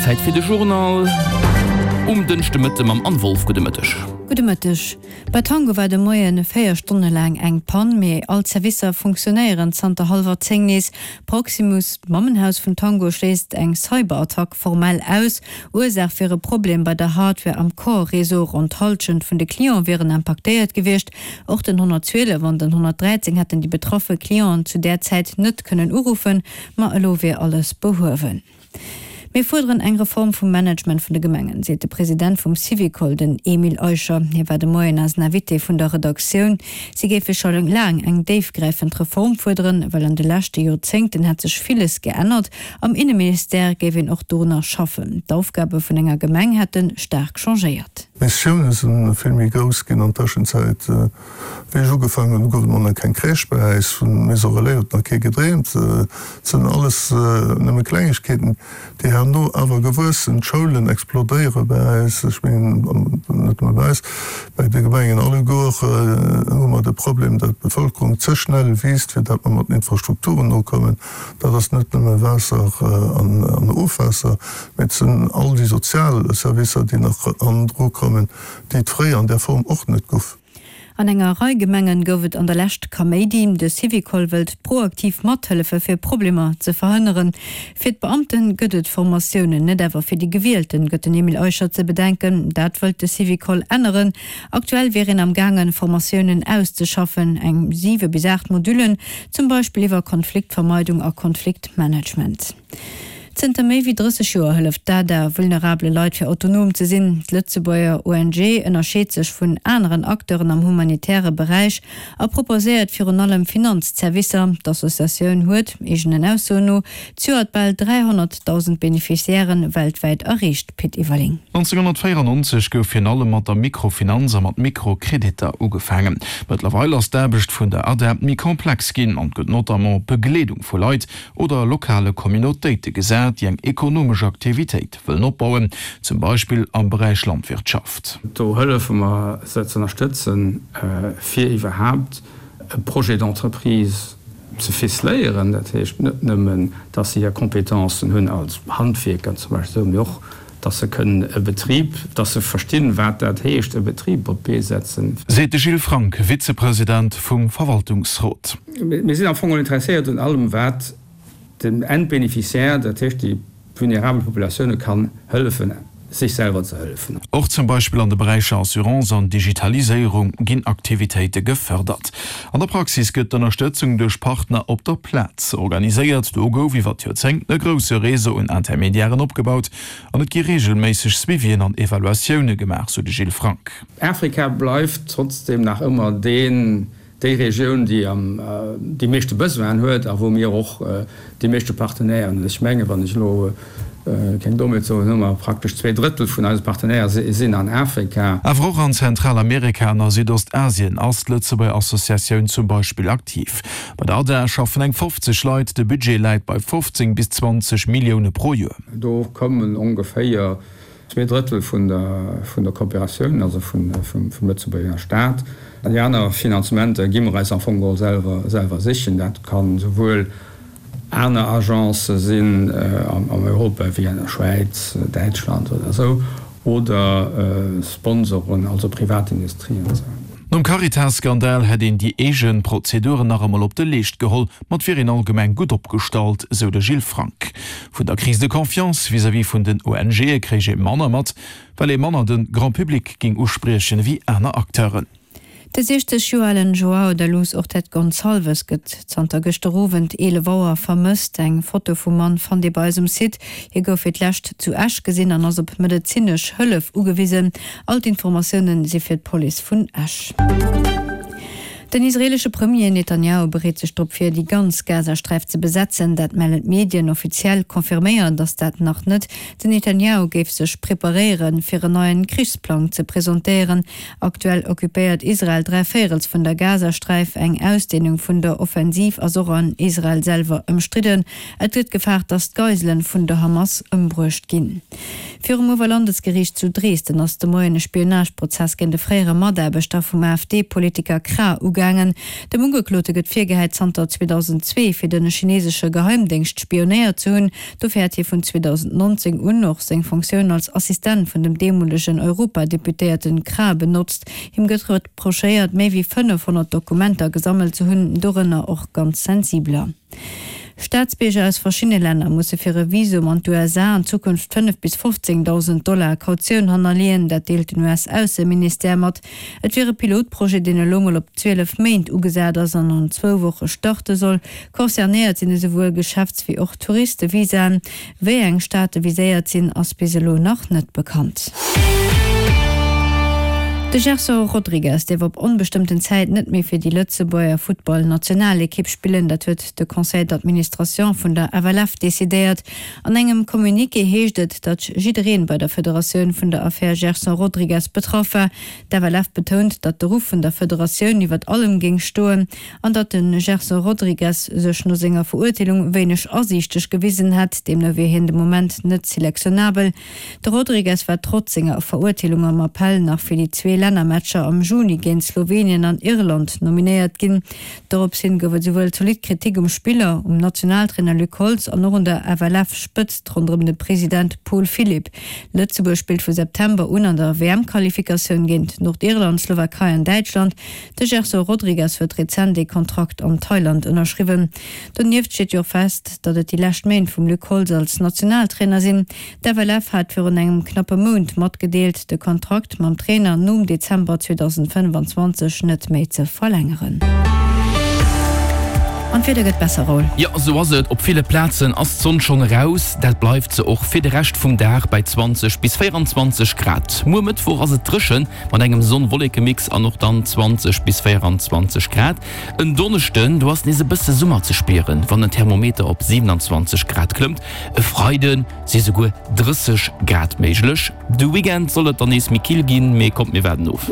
Zäit fir de Journal um Dënschdemëtte mam Anne Wolff. Gudde Mëtteg. Gudde Mëtteg. Bei Tango war de Moien 4 Stonne laang eng Pann, mee all d'Servicer funktionéieren zanter hallwer 10 nees. Proximus, d'Mammenhaus vun Tango, schléisst eng Cyberattack formell aus. Ursaach wier e Problem bei der Hardware am Core-Réseau. Ronn d'Hallschent vun de Cliente wieren impaktéiert gewiescht. Och den 112 an den 113 hätten déi betraffe Clienten zu där Zäit net kënnen uruffen, ma elo wier alles behuewen. Mir fuerderen eng Reform vum Management vun de Gemengen, seet de President vum Syvicol, den Emile Eicher. Hie war de Moien eisen Invité vun der Redaktioun. Si géife scho laang eng déifgräifend Reform fuerderen, well an de leschte Joerzéngten hätt sech villes geännert. Am Inneministère géif een och dorunner schaffen. D'Aufgabe vun enger Gemeng hätte staark changéiert. D'Missioune si vill méi grouss ginn an Tëschenzäit. Wéi ech ugefaangen hunn, gouf et nach keng Crèche bei äis. Vun Maison Relais huet nach kee gedreemt. Et sinn alles nëmme Klengegkeeten, déi herno awer gewuess sinn. D'Schoulen explodéiere bei äis. Ech mengen, net nëmme bei äis, bei de Gemengen alleguer hu mer de Problem, datt d'Bevëlkerung ze schnell wiisst, fir datt mer mat den Infrastrukturen nokommen. Dat ass net nëmme Waasser an Ofwaasser, mee et sinn all déi sozial Servicer, déi nach hannendru kommen, déi et fréier an där Form och net guff. An enger Rei Gemengen gouf et an der Lescht Kaméidi. De Syvicol wëllt proaktiv mathëllefe fir Problemer ze verhënneren. Fir d'Beamte gëtt et Formatiounen, net awer fir déi Gewielten, gëtt den Emile Eicher ze bedenken. Dat wëllt de Syvicol änneren. Aktuell wier een am gaangen, Formatiounen auszeschaffen, eng 7 bis 8 Modullen, zum Beispill iwwer Konfliktvermeidung a Konfliktmanagement. Zënter méi wéi 30 Joer hëlleft d'ADA vulnerabele Leit fir autonom ze sinn. D'Lëtzebuerger ONG ënnerscheet sech vun aneren Acteuren am humanitäre Beräich a proposéiert virun allem Finanzzerwisser. D'Associatioun huet, eegenen Aussoen no, zejoert bal 300.000 Beneficiairen weltwäit erreecht. Pit Everling. 1994 gouf virun allem mat der Mikrofinanz a mat Mikrokreditter ugefaangen. Mëttlerweil ass d'Aarbecht vun der ADA méi komplex ginn an gëtt notamment op d'Begleedung vu Leit oder lokale Communautéite gesat, déi eng ekonomesch Aktivitéit wëllen opbauen, zum Beispill am Beräich Landwirtschaft. Do hëllefe mer se ze ënnerstëtzen, fir iwwerhaapt e Projet d'entreprise ze ficeléieren. Dat heescht net nëmmen, dass se hir Compétencen hunn als Handwierker zum Beispill, mee och, dass se kënnen e Betrib, dass se verstinn, wat dat heescht, e Betrib op d'Bee setzen. Seet de Gilles Frank, Vizepresident vum Verwaltungsrot. Mir sinn am Fong interesséiert un allem, wat dem Endbeneficiaire, dat heescht déi vulnerabel Populatioune kann hëllefen, sech selwer ze hëllefen. Och zum Beispill an de Beräicher Assurance an Digitaliséierung ginn Aktivitéite gefërdert. An der Praxis gëtt d'Ënnerstëtzung duerch Partner op der Plaz organiséiert. Do gouf iwwer d'Joerzéngten e grousse Réseau un Intermediairen opgebaut an et gi reegelméisseg Suivien an Evaluatioune gemaach, sou de Gilles Frank. Afrika bleift trotzdeem nach ëmmer deen déi Regioun, déi am déi meeschte Besoinen huet a wou mir och déi meeschte Partenairen hunn. Ech mengen, wann ech elo keng Dommheet soen, hu mer praktesch zweedrëttel vun eise Partenaire sinn an Afrika. Awer och an Zentralamerika an a Südostasien ass d'Lëtzebuerger Associatioun zum Beispill aktiv. Bei der ADA schaffen eng 50 Leit, de Budget läit bei 15 bis 20 Millioune pro Joer. Do kommen ongeféier Zweedrëttel vun der Kooperatioun, also vum Lëtzebuerger Staat. Déi aner Finanzementer gi mer eis am Fong geholl selwer sichen. Dat ka souwuel aner Agencë sinn an Europa, wéi an der Schwäiz, Däitschland oder esou, oder Sponsoren, also Privatindustrie an esou. Nom Caritas-Skandal hätt een déi eege Prozeduren nach emol op de Leescht geholl, ma et wier een allgemeng gutt opgestallt, sou de Gilles Frank. Vun der Crise de confiance vis-à-vis vun den ONGe kréich ee manner mat, well ee manner de Grand public géing uspriechen ewéi aner Acteuren. De 60 Joer alen Joao da Luz Ortet Gonçalves gëtt zanter gëschter Owend 11 Auer vermësst. Eng Foto vum Mann fannt Dir bei eis um Site. Hie gouf fir d'lescht zu Esch gesinn an ass op medezinesch Hëllef ugewisen. All d'Informatioune si fir d'Police vun Esch. Den israeelesche Premier Netanjahu bereet sech drop vir, déi ganz Gazasträif ze besetzen. Dat mellen d'Medien. Offiziell confirméiert ass dat nach net. Den Netanjahu géif sech preparéieren, fir en neien Krichsplang ze presentéieren. Aktuell occupéiert Israel dräivéierels vun der Gazasträif. Eng Ausdeenung vun der Offensiv ass och an Israel selwer ëmstridden. Et gëtt gefaart, datt d'Geiselen vun der Hamas ëmbruecht ginn. Virum Oberlandesgeriicht zu Dresden ass de Moien e Spionageprozess géint e fréiere Mataarbechter vum AfD-Politiker Krah ugaangen. gaangen. Dem Ugeklote gëtt virgehäit, zanter 2002 fir de chinesesche Geheimdéngscht spionéiert ze hunn. Dofir hätt hie vun 2019 un och seng Fonctioun als Assistent vun dem deemolegen Europadeputéierten Krah benotzt. Him gëtt reprochéiert, méi wéi 500 Dokumenter gesammelt ze hunn, dorënner och ganz sensibeler. Staatsbierger aus verschiddene Länner musse fir e Visum an d'USA an Zukunft 5 bis 15.000 Dollar Kautioun hannerleeën. Dat deelt den US-Ausseministère mat. Et wier e Pilotprojet, deen elo mol op 12 Méint ugesat ass an an zwou Woche starte soll. Concernéiert sinn esouwuel Geschäfts wéi och Touristevisaen. Wéi eng Staate viséiert sinn, ass bis elo nach net bekannt. De Gerson Rodrigues dierf op onbestëmmten Zäit net méi fir déi Lëtzebuerger Futtball-Nationalekipp spillen. Dat huet de Conseil d'administration vun der FLF decidéiert. An engem Communiqué heescht et, datt jiddereen bei der Federatioun vun der Affär Gerson Rodrigues betraff war. D'FLF betount, datt de Ruff vun der Federatioun iwwert allem géing stoen. An datt de Gerson Rodrigues sech no senger Verurteelung wéineg asiichteg gewisen hätt, deemno wier hien de Moment net selektionabel. De Rodrigues war trotz senger Verurteelung am Appell nach fir déi zwee Lännermatcher am Juni géint Slowenien an Irland nominéiert ginn. Dorops hin gouf et esouwuel zolidd Kritik um Spiller, um Nationaltrainer Luc Holtz an och un der FLF-Spëtzt ronderëm de President Paul Philipp. Lëtzebuerg spillt vu September un an der WM-Qualifikatioun géint Nordirland, Slowakei an Däitschland. De Gerson Rodrigues huet rezent ee Kontrakt an Thailand ënnerschriwwen. Donieft steet jo och fest, datt et déi lescht Méint vum Luc Holtz als Nationaltrainer sinn. D'FLF hat virun engem knappe Mount matgedeelt, de Kontrakt mam Trainer nom Dezember 2025 net méi ze verlängeren. An d'Wieder gëtt besser, Raoul. Jo, esou ass et. Op ville Plazen ass d'Sonn schonn eraus. Dat bleift se och fir de Rescht vum Dag bei 20 bis 24 Grad. Muer Mëttwoch ass et dréchen, Mat engem Sonn-Wolleke-Mix an och dann 20 bis 24 Grad. En Donneschden, do ass nees e bësse Summer ze spieren, wann den Thermometer op 27 Grad klëmmt. E Freide si souguer 30 Grad méiglech. De Weekend soll et dann nees méi kill ginn, mee kommt mir waarden of.